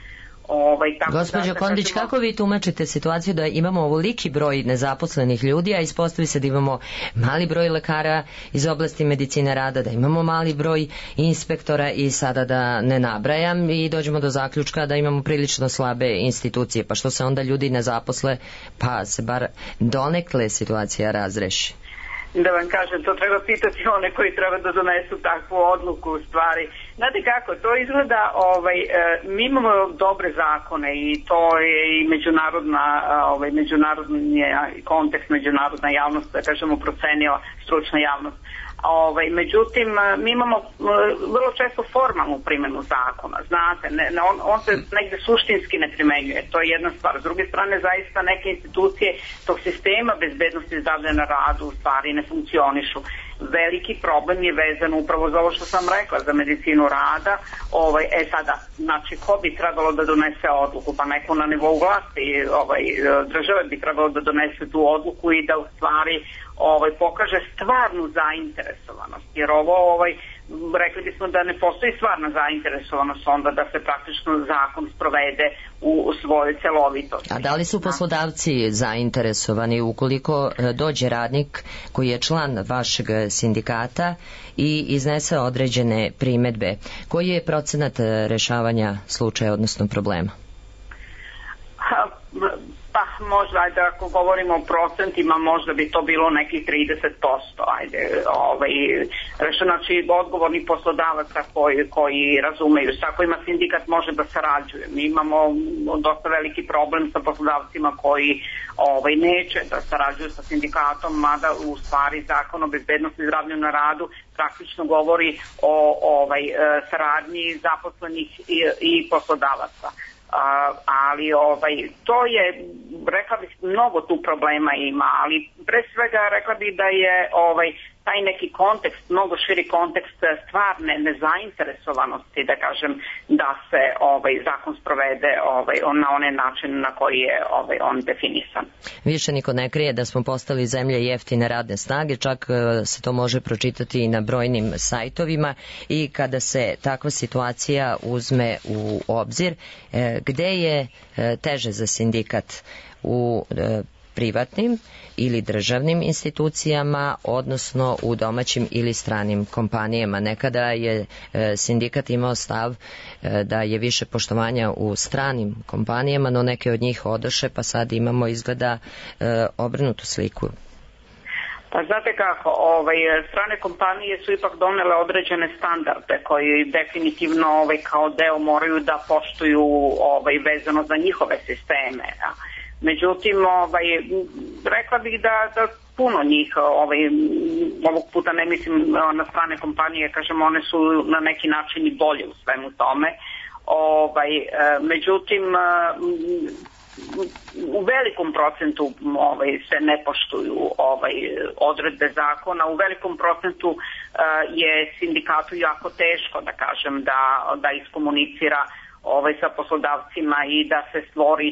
Gospođo Kondić, kako vi tumačite situaciju da imamo ovoliki broj nezaposlenih ljudi, a ispostavi se da imamo mali broj lekara iz oblasti medicine rada, da imamo mali broj inspektora i sada da ne nabrajam i dođemo do zaključka da imamo prilično slabe institucije, pa što se onda ljudi ne zaposle, pa se bar donekle situacija razreši? Da vam kažem, to treba pitati one koji treba da donesu takvu odluku u stvari. Znate kako, to izgleda, mi imamo dobre zakone i to je i međunarodni kontekst, međunarodna javnost, da kažemo, procenila stručna javnost. Međutim, mi imamo vrlo često formalnu primjenu zakona, znate, on se negde suštinski ne primenjuje, to je jedna stvar. S druge strane, zaista neke institucije tog sistema bezbednosti zdravlja na radu u stvari ne funkcionišu. Veliki problem je vezan upravo za ovo što sam rekla, za medicinu rada. Sada, znači, ko bi trebalo da donese odluku? Pa neko na nivou vlasti države bi trebalo da donese tu odluku i da u stvari pokaže stvarnu zainteresovanost. Jer rekli bismo da ne postoji stvarna zainteresovanost onda da se praktično zakon sprovede u svojoj celovitosti. A da li su poslodavci zainteresovani ukoliko dođe radnik koji je član vašeg sindikata i iznese određene primedbe? Koji je procenat rešavanja slučaja, odnosno problema? Pa možda, ajde, ako govorimo o procentima, možda bi to bilo nekih 30%, znači odgovorni poslodavaca koji razumeju, sa kojima sindikat može da sarađuje. Mi imamo dosta veliki problem sa poslodavcima koji neće da sarađuju sa sindikatom, mada u stvari Zakon o bezbednosti i zdravlju na radu praktično govori o saradnji zaposlenih i poslodavaca. Ali to je, rekla bih, mnogo tu problema ima, ali pre svega rekla bih da je taj neki kontekst, mnogo širi kontekst stvarne nezainteresovanosti, da kažem, da se zakon sprovede na onaj način na koji je on definisan. Više niko ne krije da smo postali zemlja jeftine radne snage, čak se to može pročitati i na brojnim sajtovima, i kada se takva situacija uzme u obzir, gde je teže za sindikat, u privatnim ili državnim institucijama, odnosno u domaćim ili stranim kompanijama. Nekada je sindikat imao stav da je više poštovanja u stranim kompanijama, no neke od njih odoše, pa sad imamo izgleda obrnutu sliku. Pa znate kako, strane kompanije su ipak donele određene standarde koji definitivno kao deo moraju da poštuju vezano za njihove sisteme. Međutim, rekla bih da puno njih, ovog puta ne mislim na strane kompanije, kažem, one su na neki način i bolje u svemu tome. Međutim, u velikom procentu se ne poštuju odredbe zakona, u velikom procentu je sindikatu jako teško, da kažem, da iskomunicira sa poslodavcima i da se stvori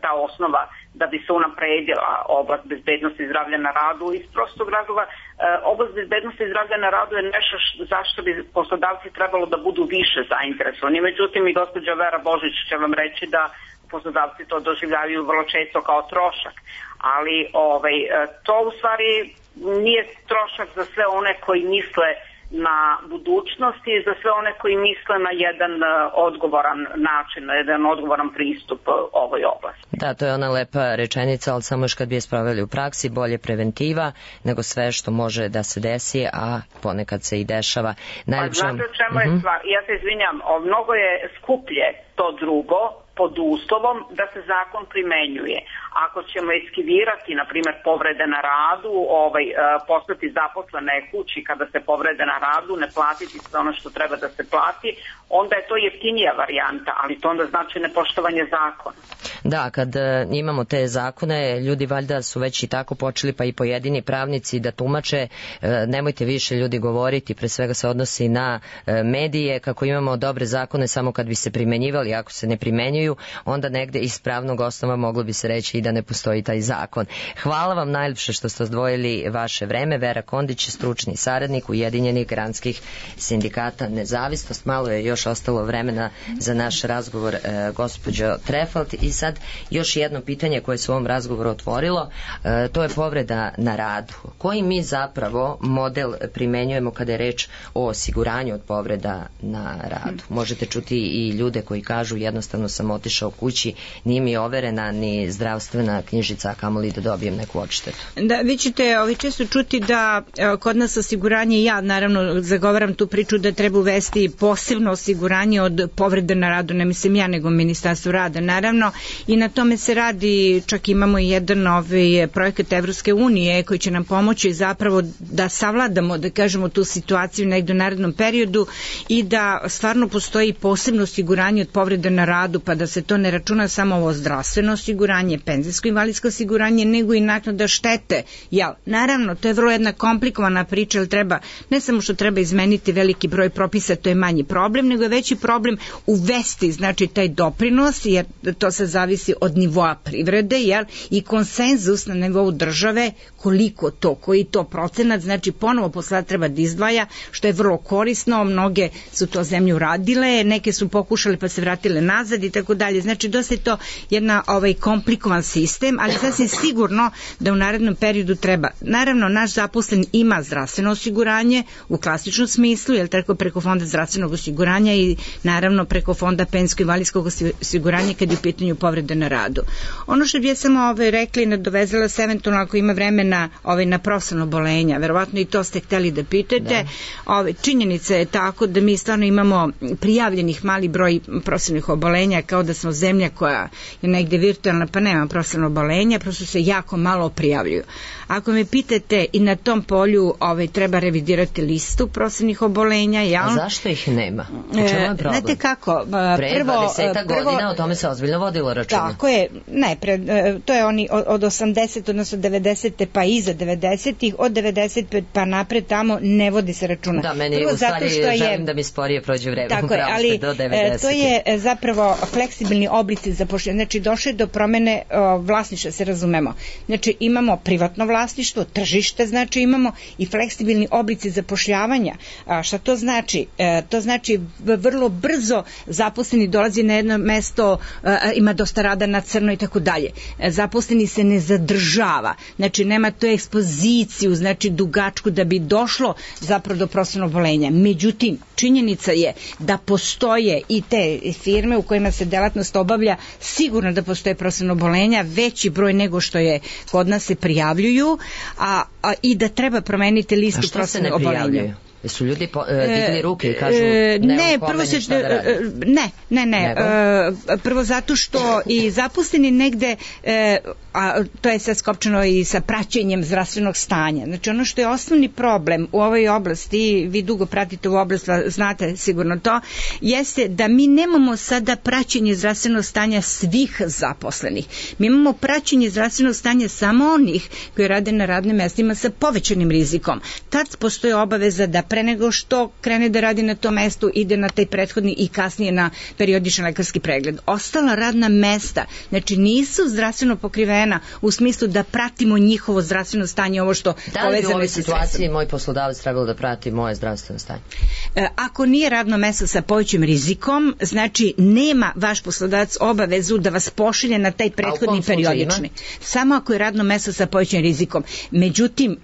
ta osnova da bi se unapredila oblast bezbednosti i zdravlja na radu. Iz prostog razloga, oblast bezbednosti i zdravlja na radu je nešto zašto bi poslodavci trebalo da budu više zainteresovani. Međutim, i gospođa Vera Božić će vam reći da poslodavci to doživljavaju vrlo često kao trošak. Ali to u stvari nije trošak za sve one koji misle na budućnosti i za sve one koji misle na jedan odgovoran način, na jedan odgovoran pristup ovoj oblasti. Da, to je ona lepa rečenica, ali samo još kad bi je sproveli u praksi, bolje preventiva nego sve što može da se desi, a ponekad se i dešava. Znate o čemu je stvar? Ja se izvinjam, mnogo je skuplje to drugo, pod uslovom da se zakon primenjuje. Ako ćemo eskivirati, na primjer, povrede na radu, postati zaposlene kući kada se povrede na radu, ne platiti sve ono što treba da se plati, onda je to jeftinija varijanta, ali to onda znači nepoštovanje zakona. Da, kad imamo te zakone, ljudi valjda su već i tako počeli, pa i pojedini pravnici da tumače, nemojte više ljudi govoriti, pre svega se odnosi na medije, kako imamo dobre zakone samo kad bi se primenjivali, ako se ne primenjuju, onda negde iz pravnog osnova moglo bi se reći i da ne postoji taj zakon. Hvala vam najljepše što ste odvojili vaše vreme. Vera Kondić, stručni saradnik Ujedinjenih granskih sindikata Nezavisnost. Malo je još ostalo vremena za naš razgovor, gospođo Trefalt. I sad još jedno pitanje koje se u ovom razgovoru otvorilo, to je povreda na radu. Koji mi zapravo model primenjujemo kada je reč o osiguranju od povreda na radu? Možete čuti i ljude koji kažu jednostavno sam otišao kući, nije mi overena ni zdravstvena knjižica, a kamoli da dobijem neku odštetu. Da, vi ćete često čuti da kod nas osiguranje, ja naravno zagovaram tu priču da treba uvesti posebno osiguranje od povrede na radu, ne mislim ja nego Ministarstvo rada naravno, i na tome se radi, čak imamo i jedan projekat Evropske unije koji će nam pomoći zapravo da savladamo, da kažemo, tu situaciju negdje u narednom periodu i da stvarno postoji posebno osiguranje od povrede na radu, pa da se to ne računa samo ovo zdravstveno osiguranje, penzijsko invalidsko osiguranje, nego i naknada štete. Naravno, to je vrlo jedna komplikovana priča, jer treba, ne samo što treba izmeniti veliki broj propisa, to je manji problem, nego je veći problem uvesti, znači, taj doprinos, jer to se zavisi od nivoa privrede, i konsenzus na nivou države, koliko to, koji to procenat, znači ponovo poslodavac treba da izdvaja, što je vrlo korisno, mnoge su to zemlje uradile, neke su pokušali pa se vratile nazad i tako dalje. Znači, dosta je to jedna komplikovan sistem, ali sasvim sigurno da u narednom periodu treba. Naravno, naš zaposlen ima zdravstveno osiguranje u klasičnom smislu, jer tako preko fonda zdravstvenog osiguranja i naravno preko fonda penzijsko-invalidskog osiguranja kad je u pitanju povrede na radu. Ono što bi ja samo rekla i nadovezala se eventualno ako ima vremena na profesionalno obolenja, verovatno i to ste hteli da pitate. Činjenica je tako da mi stvarno imamo prijavljenih mali broj profesionalnih obolenja, kao da smo zemlja koja je negde virtualna pa nema profesionalnog obolenja, prosto se jako malo prijavljuju. Ako me pitate, i na tom polju treba revidirati listu profesionalnih obolenja. A zašto ih nema? U čemu je problem? Znate kako? Pre 20 godina o tome se ozbiljno vodilo računa. Tako je, to je oni od 80, odnosno 90. pa iza 90-ih, od 95 pa napred tamo ne vodi se računa. Da, meni u stvari želim da mi sporije prođe vreme. Tako je, ali to je zapravo fleksibilni oblici zapošljavanja. Znači, došlo je do promene vlasništva, se razumemo. Znači, imamo privatno vlasništvo, tržište, znači imamo i fleksibilni oblici zapošljavanja. Šta to znači? To znači vrlo brzo zaposleni dolazi na jedno mesto, ima dosta rada na crno i tako dalje. Zaposleni se ne zadržava. Znači, nema tu ekspoziciju, znači dugačku da bi došlo zapravo do profesionalnog obolenja. Međutim, činjenica je da postoje i te firme u kojima se delatnost obavlja, sigurno da postoje profesionalno obolenja, veći broj nego što je kod nas se prijavljuju, i da treba promeniti listu profesionalnog obolenja. Su ljudi digli ruke i kažu ne, prvo se ne. Prvo zato što i zaposleni negde, a to je sad skopčano i sa praćenjem zdravstvenog stanja. Znači ono što je osnovni problem u ovoj oblasti, vi dugo pratite u oblast, znate sigurno to, jeste da mi nemamo sada praćenje zdravstvenog stanja svih zaposlenih. Mi imamo praćenje zdravstvenog stanja samo onih koji rade na radnim mestima sa povećanim rizikom. Tad postoji obaveza da pre nego što krene da radi na tom mestu ide na taj prethodni i kasnije na periodičan lekarski pregled. Ostala radna mesta, znači nisu zdravstveno pokrivena u smislu da pratimo njihovo zdravstveno stanje, ovo što da li bi u ovoj situaciji moj poslodavac trebalo da prati moje zdravstveno stanje? Ako nije radno mesto sa povećim rizikom, znači nema vaš poslodavac obavezu da vas pošilje na taj prethodni periodični. Samo ako je radno mesto sa povećim rizikom. Međutim,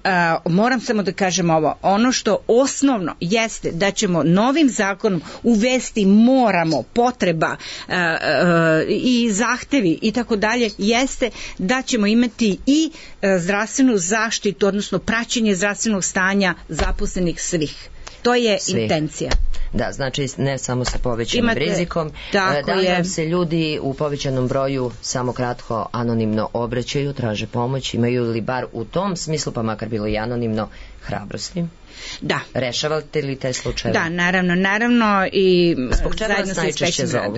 moram samo da kažem ovo, ono što osnovno jeste da ćemo novim zakonom uvesti potreba i zahtevi i tako dalje, jeste da ćemo imati i zdravstvenu zaštitu, odnosno praćenje zdravstvenog stanja zaposlenih svih. To je intencija. Da, znači ne samo sa povećanim rizikom. Da li nam se ljudi u povećanom broju samo kratko anonimno obraćaju, traže pomoć, imaju li bar u tom smislu, pa makar bilo i anonimno, hrabrosti? Da. Rešavate li te slučajeve? Da, naravno i zbog čega vas najčešće zovu?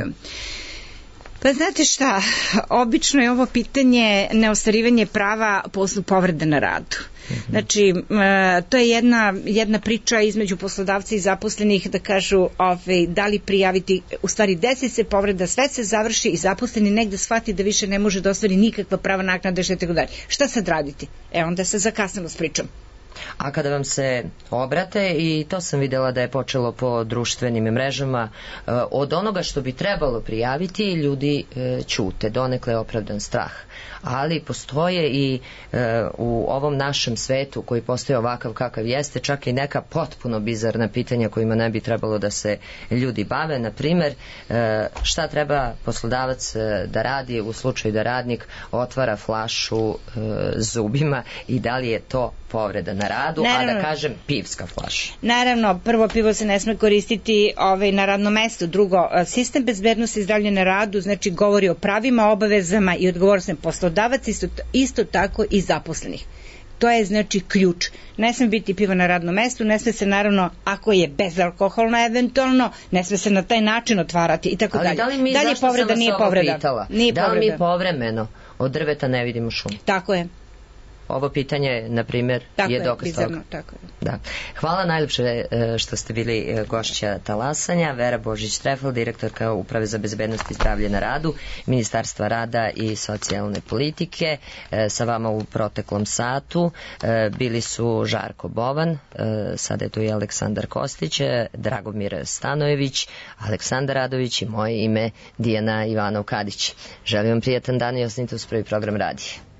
Pa znate šta, obično je ovo pitanje neostvarivanje prava po osnovu povrede na radu. Znači, to je jedna priča između poslodavca i zaposlenih da kažu da li prijaviti, u stvari desi se povreda, sve se završi i zaposleni negde shvati da više ne može da ostvari nikakva prava naknade, šta sad raditi? Onda se zakasnilo s pričom. A kada vam se obrate, i to sam videla da je počelo po društvenim mrežama, od onoga što bi trebalo prijaviti, ljudi ćute, donekle je opravdan strah. Ali postoje i u ovom našem svetu koji postoje ovakav kakav jeste, čak i neka potpuno bizarna pitanja kojima ne bi trebalo da se ljudi bave. Na primer, šta treba poslodavac da radi u slučaju da radnik otvara flašu zubima i da li je to povreda na radu, a da kažem pivska flaša? Naravno, prvo, pivo se ne sme koristiti na radnom mestu. Drugo, sistem bezbednosti i zdravlja na radu, znači govori o pravima, obavezama i odgovornostima poslodavaca, isto tako i zaposlenih. To je znači ključ. Ne sme biti pivo na radnom mestu, ne sme se naravno, ako je bezalkoholno eventualno, ne sme se na taj način otvarati i tako dalje. Ali da li mi, zašto sam vas ovo pitala? Da li mi povremeno od drveta ne vidimo šum? Tako je. Ovo pitanje, na primjer, je dokaz toga. Tako je. Da. Hvala najljepše što ste bili gošća Talasanja. Vera Božić-Trefel, direktorka Uprave za bezbednost i zdravlje na radu, Ministarstva rada i socijalne politike. Sa vama u proteklom satu bili su Žarko Bovan, sada je tu i Aleksandar Kostić, Dragomir Stanojević, Aleksandar Radović i moje ime Dijana Ivanov-Kadić. Želim vam prijatan dan i ostanite uz prvi program radija.